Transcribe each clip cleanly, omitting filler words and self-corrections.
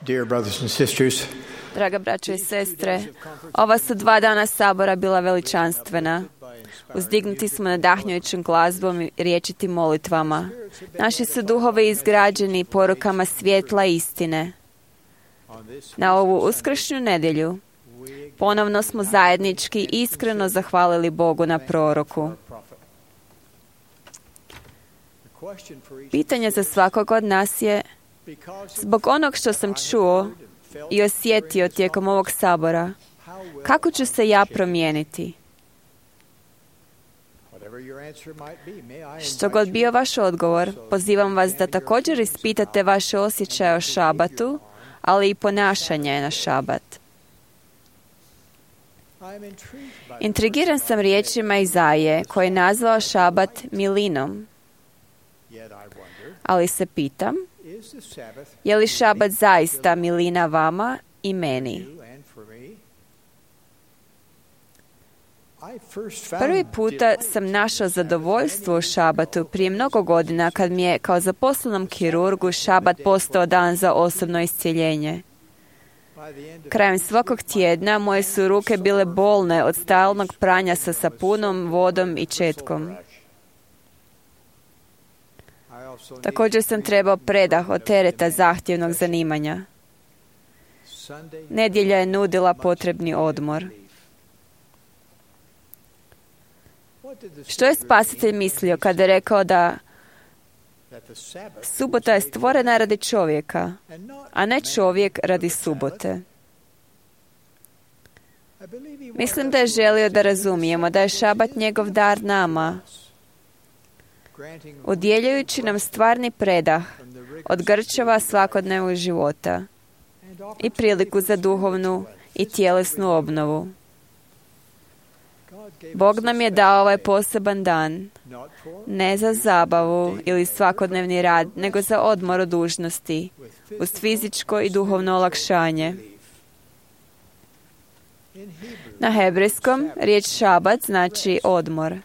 Dear brothers and sisters, Draga braćo i sestre, ova su 2 dana sabora bila veličanstvena. Uzdignuti smo nadahnjujućom glazbom i riječitim molitvama. Naši su duhovi izgrađeni porukama svjetla istine. Na ovu uskršnju nedjelju ponovno smo zajednički iskreno zahvalili Bogu na proroku. Pitanje za svakog od nas je, zbog onog što sam čuo i osjetio tijekom ovog sabora, kako ću se ja promijeniti? Što god bio vaš odgovor, pozivam vas da također ispitate vaše osjećaje o šabatu, ali i ponašanje na šabat. Intrigiran sam riječima Izaije, koji je nazvao šabat milinom. Ali se pitam, je li šabat zaista milina vama i meni? Prvi puta sam našao zadovoljstvo u šabatu prije mnogo godina kad mi je kao zaposlenom kirurgu šabat postao dan za osobno iscjeljenje. Krajem svakog tjedna moje su ruke bile bolne od stalnog pranja sa sapunom, vodom i četkom. Također sam trebao predah od tereta zahtjevnog zanimanja. Nedjelja je nudila potrebni odmor. Što je Spasitelj mislio kada je rekao da subota je stvorena radi čovjeka, a ne čovjek radi subote? Mislim da je želio da razumijemo da je šabat njegov dar nama, udjeljujući nam stvarni predah od grčeva svakodnevnog života i priliku za duhovnu i tjelesnu obnovu. Bog nam je dao ovaj poseban dan, ne za zabavu ili svakodnevni rad, nego za odmor od dužnosti, uz fizičko i duhovno olakšanje. Na hebrejskom riječ šabat znači odmor.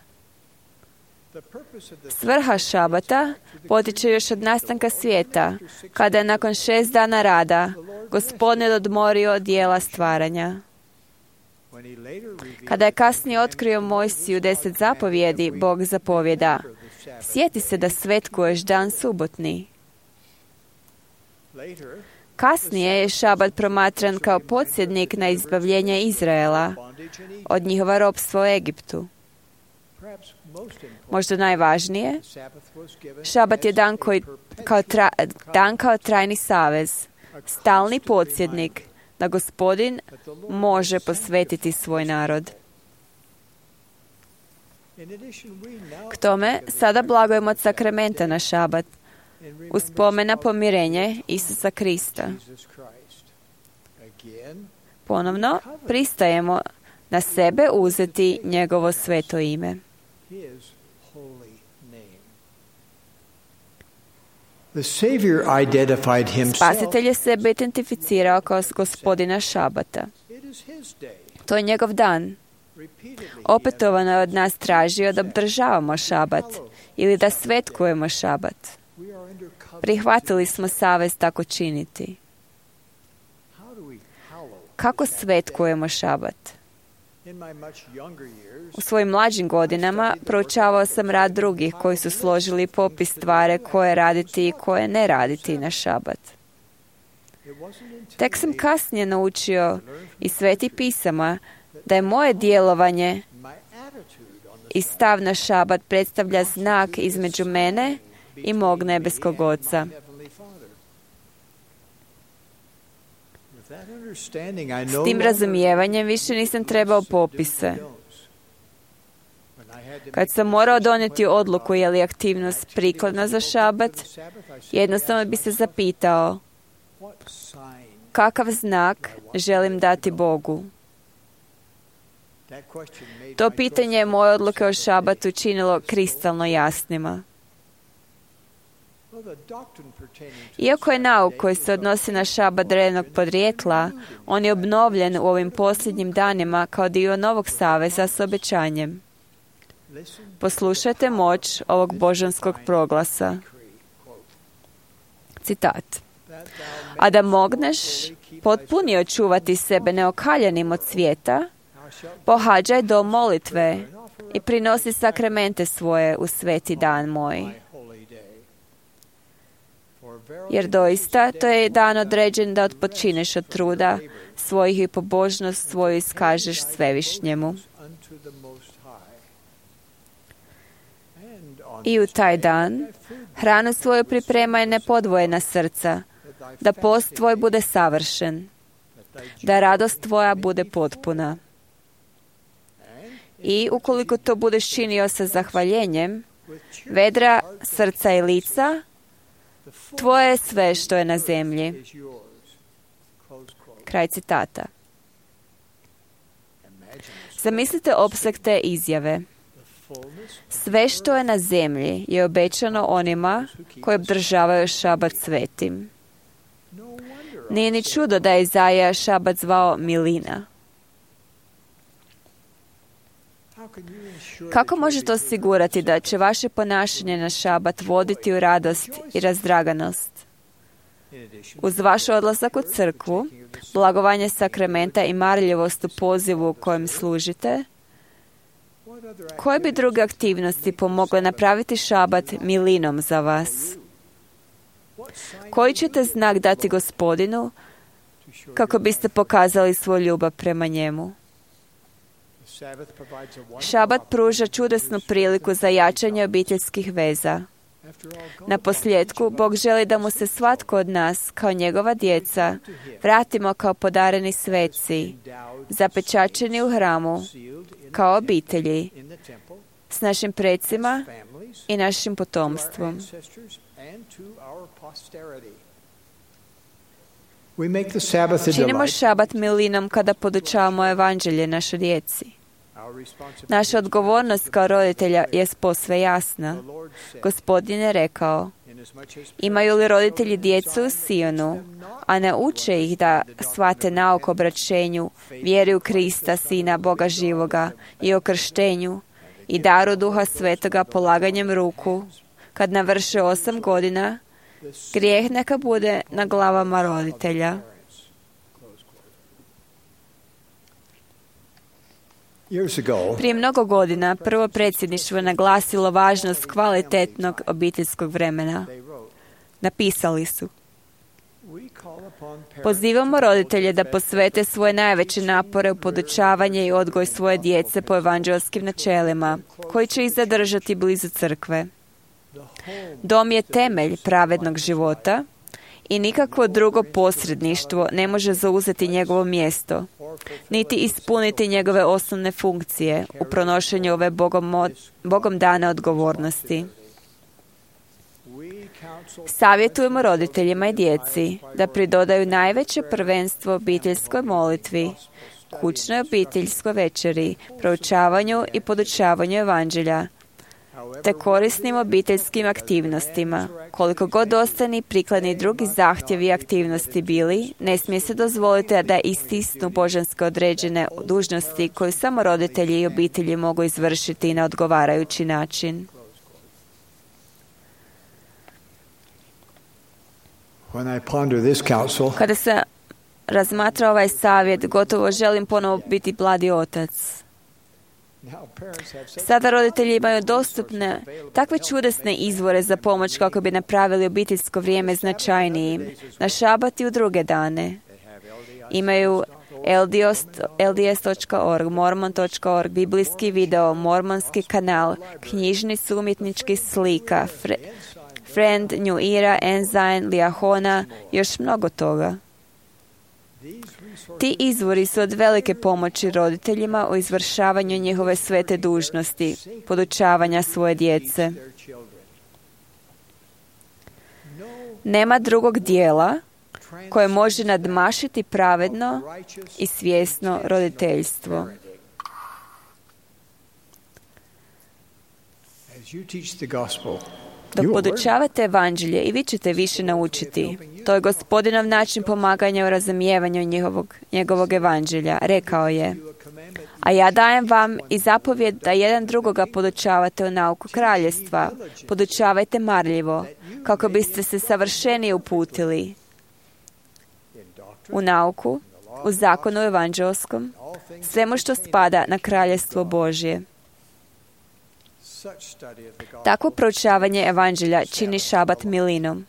Svrha šabata potiče još od nastanka svijeta, kada je nakon 6 dana rada Gospodin odmorio od dijela stvaranja. Kada je kasnije otkrio Mojsiju 10 zapovjedi, Bog zapovjeda: sjeti se da svetkuješ dan subotni. Kasnije je šabat promatran kao podsjetnik na izbavljenje Izraela od njihova ropstva u Egiptu. Možda najvažnije, šabat je dan kao trajni savez, stalni podsjetnik da Gospodin može posvetiti svoj narod. K tome, sada blagujemo od sakramenta na šabat, u spomen na pomirenje Isusa Krista. Ponovno, pristajemo na sebe uzeti njegovo sveto ime. Spasitelj je sebe identificirao kao Gospodina šabata. To je njegov dan. Opetovano je od nas tražio da obdržavamo šabat ili da svetkujemo šabat. Prihvatili smo savez tako činiti. Kako svetkujemo šabat? U svojim mlađim godinama proučavao sam rad drugih koji su složili popis stvari koje raditi i koje ne raditi na šabat. Tek sam kasnije naučio iz Svetih pisama da je moje djelovanje i stav na šabat predstavlja znak između mene i mog nebeskog Oca. S tim razumijevanjem više nisam trebao popise. Kad sam morao donijeti odluku je li aktivnost prikladna za šabat, jednostavno bi se zapitao kakav znak želim dati Bogu. To pitanje je moje odluke o šabatu činilo kristalno jasnima. Iako je nauk koji se odnosi na šabat drevnog podrijetla, on je obnovljen u ovim posljednjim danima kao dio novog saveza s obećanjem. Poslušajte moć ovog božanskog proglasa. Citat. a da mogneš potpunije očuvati sebe neokaljanim od svijeta, pohađaj dom molitve i prinosi sakramente svoje u sveti dan moj. Jer doista to je dan određen da odpočineš od truda svojih i pobožnost svoju iskažeš svevišnjemu. I u taj dan hranu svoju pripremaj nepodvojena srca, da post tvoj bude savršen, da radost tvoja bude potpuna. I ukoliko to budeš činio sa zahvaljenjem, vedra srca i lica, tvoje je sve što je na zemlji. Kraj citata. Zamislite opseg te izjave. Sve što je na zemlji je obećano onima koji obdržavaju šabat svetim. Nije ni čudo da je Izaija šabat zvao milina. Kako možete osigurati da će vaše ponašanje na šabat voditi u radost i razdraganost? Uz vaš odlazak u crkvu, blagovanje sakramenta i marljivost u pozivu u kojem služite, koje bi druge aktivnosti pomogle napraviti šabat milinom za vas? Koji ćete znak dati Gospodinu kako biste pokazali svoju ljubav prema njemu? Šabat pruža čudesnu priliku za jačanje obiteljskih veza. Na posljedku, Bog želi da mu se svatko od nas, kao njegova djeca, vratimo kao podareni sveci, zapečačeni u hramu, kao obitelji, s našim precima i našim potomstvom. Činimo šabat milinom kada podučavamo evanđelje našoj djeci. Naša odgovornost kao roditelja je posve jasna. Gospodin je rekao, imaju li roditelji djecu u Sionu, a ne uče ih da shvate nauk o obraćenju, vjeri u Krista, Sina Boga živoga, i o krštenju, i daru Duha Svetoga polaganjem ruku, kad navrše 8 godina, grijeh neka bude na glavama roditelja. Prije mnogo godina prvo predsjedništvo je naglasilo važnost kvalitetnog obiteljskog vremena. Napisali su: pozivamo roditelje da posvete svoje najveće napore u podučavanje i odgoj svoje djece po evanđelskim načelima, koji će ih zadržati blizu crkve. Dom je temelj pravednog života i nikakvo drugo posredništvo ne može zauzeti njegovo mjesto, niti ispuniti njegove osnovne funkcije u pronošenju ove Bogom dane odgovornosti. Savjetujemo roditeljima i djeci da pridodaju najveće prvenstvo obiteljskoj molitvi, kućnoj obiteljskoj večeri, proučavanju i podučavanju evanđelja, te korisnim obiteljskim aktivnostima. Koliko god ostani prikladni drugi zahtjevi i aktivnosti bili, ne smije se dozvoliti da istisnu božanske određene dužnosti koje samo roditelji i obitelji mogu izvršiti na odgovarajući način. Kada se razmatra ovaj savjet, gotovo želim ponovo biti blagi otac. Sada roditelji imaju dostupne takve čudesne izvore za pomoć kako bi napravili obiteljsko vrijeme značajnijim na šabat i u druge dane. Imaju LDS.org, Mormon.org, biblijski video, mormonski kanal, knjižnicu umjetničkih slika, Friend, New Era, Ensign, Liahona, još mnogo toga. Ti izvori su od velike pomoći roditeljima u izvršavanju njihove svete dužnosti, podučavanja svoje djece. Nema drugog dijela koje može nadmašiti pravedno i svjesno roditeljstvo. Dok podučavate evanđelje i vi ćete više naučiti. To je Gospodinov način pomaganja u razumijevanju njegovog evanđelja. Rekao je: a ja dajem vam i zapovjed da jedan drugoga podučavate u nauku kraljevstva. Podučavajte marljivo, kako biste se savršenije uputili. u nauku, u zakonu evanđelskom, svemu što spada na kraljevstvo Božje. Takvo proučavanje evanđelja čini šabat milinom.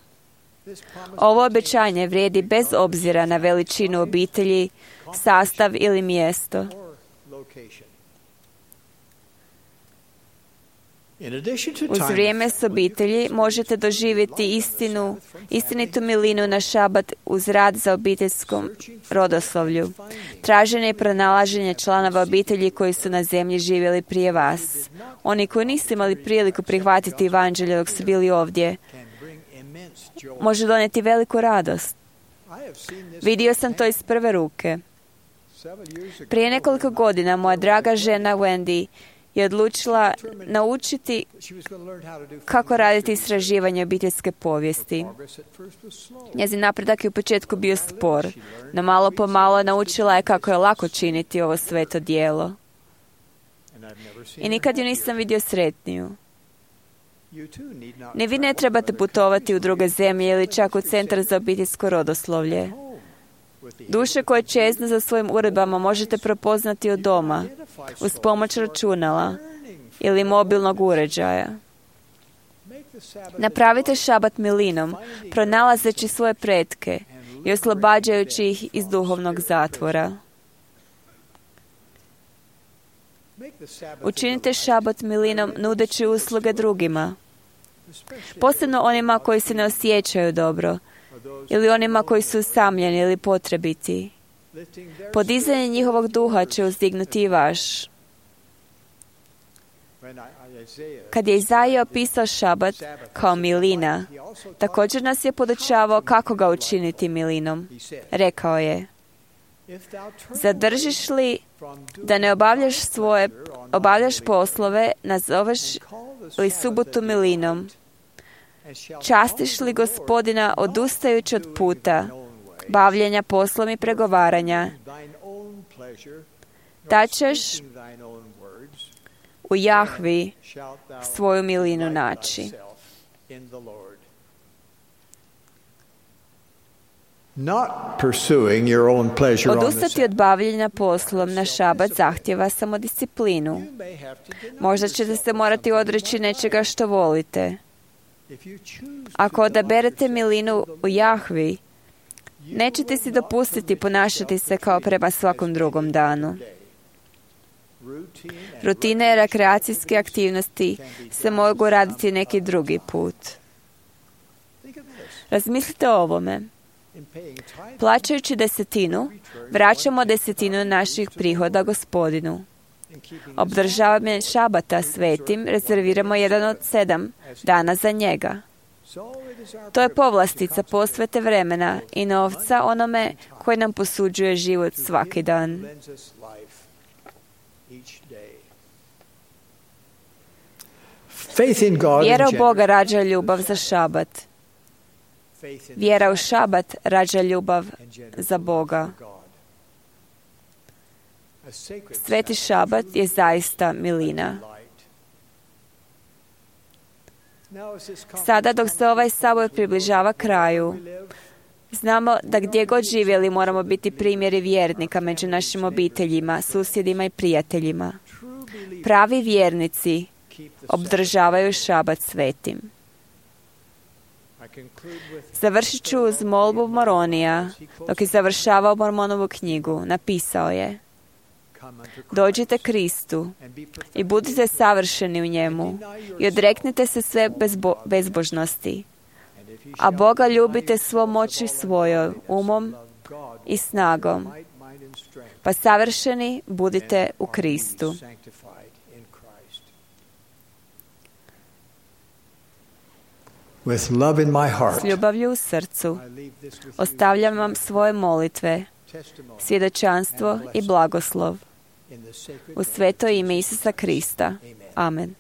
Ovo obećanje vrijedi bez obzira na veličinu obitelji, sastav ili mjesto. Uz vrijeme s obitelji možete doživjeti istinitu milinu na šabat uz rad za obiteljskom rodoslovlju. Traženje i pronalaženje članova obitelji koji su na zemlji živjeli prije vas. Oni koji nisu imali priliku prihvatiti evanđelje dok su bili ovdje, može donijeti veliku radost. Vidio sam to iz prve ruke. Prije nekoliko godina moja draga žena Wendy je odlučila naučiti kako raditi istraživanje obiteljske povijesti. Njezin napredak je u početku bio spor, no malo po malo naučila je kako je lako činiti ovo sveto djelo. I nikad ju nisam vidio sretniju. Ni vi ne trebate putovati u druge zemlje ili čak u centar za obiteljsko rodoslovlje. Duše koje čeznu za svojim uredbama možete prepoznati od doma, uz pomoć računala ili mobilnog uređaja. Napravite šabat milinom, pronalazeći svoje pretke i oslobađajući ih iz duhovnog zatvora. Učinite šabat milinom nudeći usluge drugima, posebno onima koji se ne osjećaju dobro, ili onima koji su usamljeni ili potrebiti. Podizanje njihovog duha će uzdignuti i vaš. Kad je Izaija opisao šabat kao milina, također nas je podučavao kako ga učiniti milinom. Rekao je: zadržiš li da ne obavljaš poslove, nazoveš li subotu milinom? Častiš li Gospodina odustajući od puta, bavljenja poslom i pregovaranja? Da ćeš u Jahvi svoju milinu naći. Odustati od bavljenja poslom na šabat zahtjeva samodisciplinu. Možda ćete se morati odreći nečega što volite. Ako odaberete milinu u Jahvi, nećete si dopustiti ponašati se kao prema svakom drugom danu. Rutine i rekreacijske aktivnosti se mogu raditi neki drugi put. Razmislite o ovome. Plaćajući desetinu, vraćamo desetinu naših prihoda Gospodinu. Obdržavanje šabata svetim rezerviramo 1 od 7 dana za njega. To je povlastica posvete vremena i novca onome koji nam posuđuje život svaki dan. Vjera u Boga rađa ljubav za šabat. Vjera u šabat rađa ljubav za Boga. Sveti šabat je zaista milina. Sada dok se ovaj sabor približava kraju, znamo da gdje god živjeli moramo biti primjeri vjernika među našim obiteljima, susjedima i prijateljima. Pravi vjernici obdržavaju šabat svetim. Završit ću uz molbu Moronija. Dok je završavao Mormonovu knjigu, napisao je: dođite Kristu i budite savršeni u njemu i odreknite se sve bezbožnosti, a Boga ljubite svom moći svojoj, umom i snagom, pa savršeni budite u Kristu. S ljubavlju u srcu ostavljam vam svoje molitve, svjedočanstvo i blagoslov. U sveto ime Isusa Krista. Amen.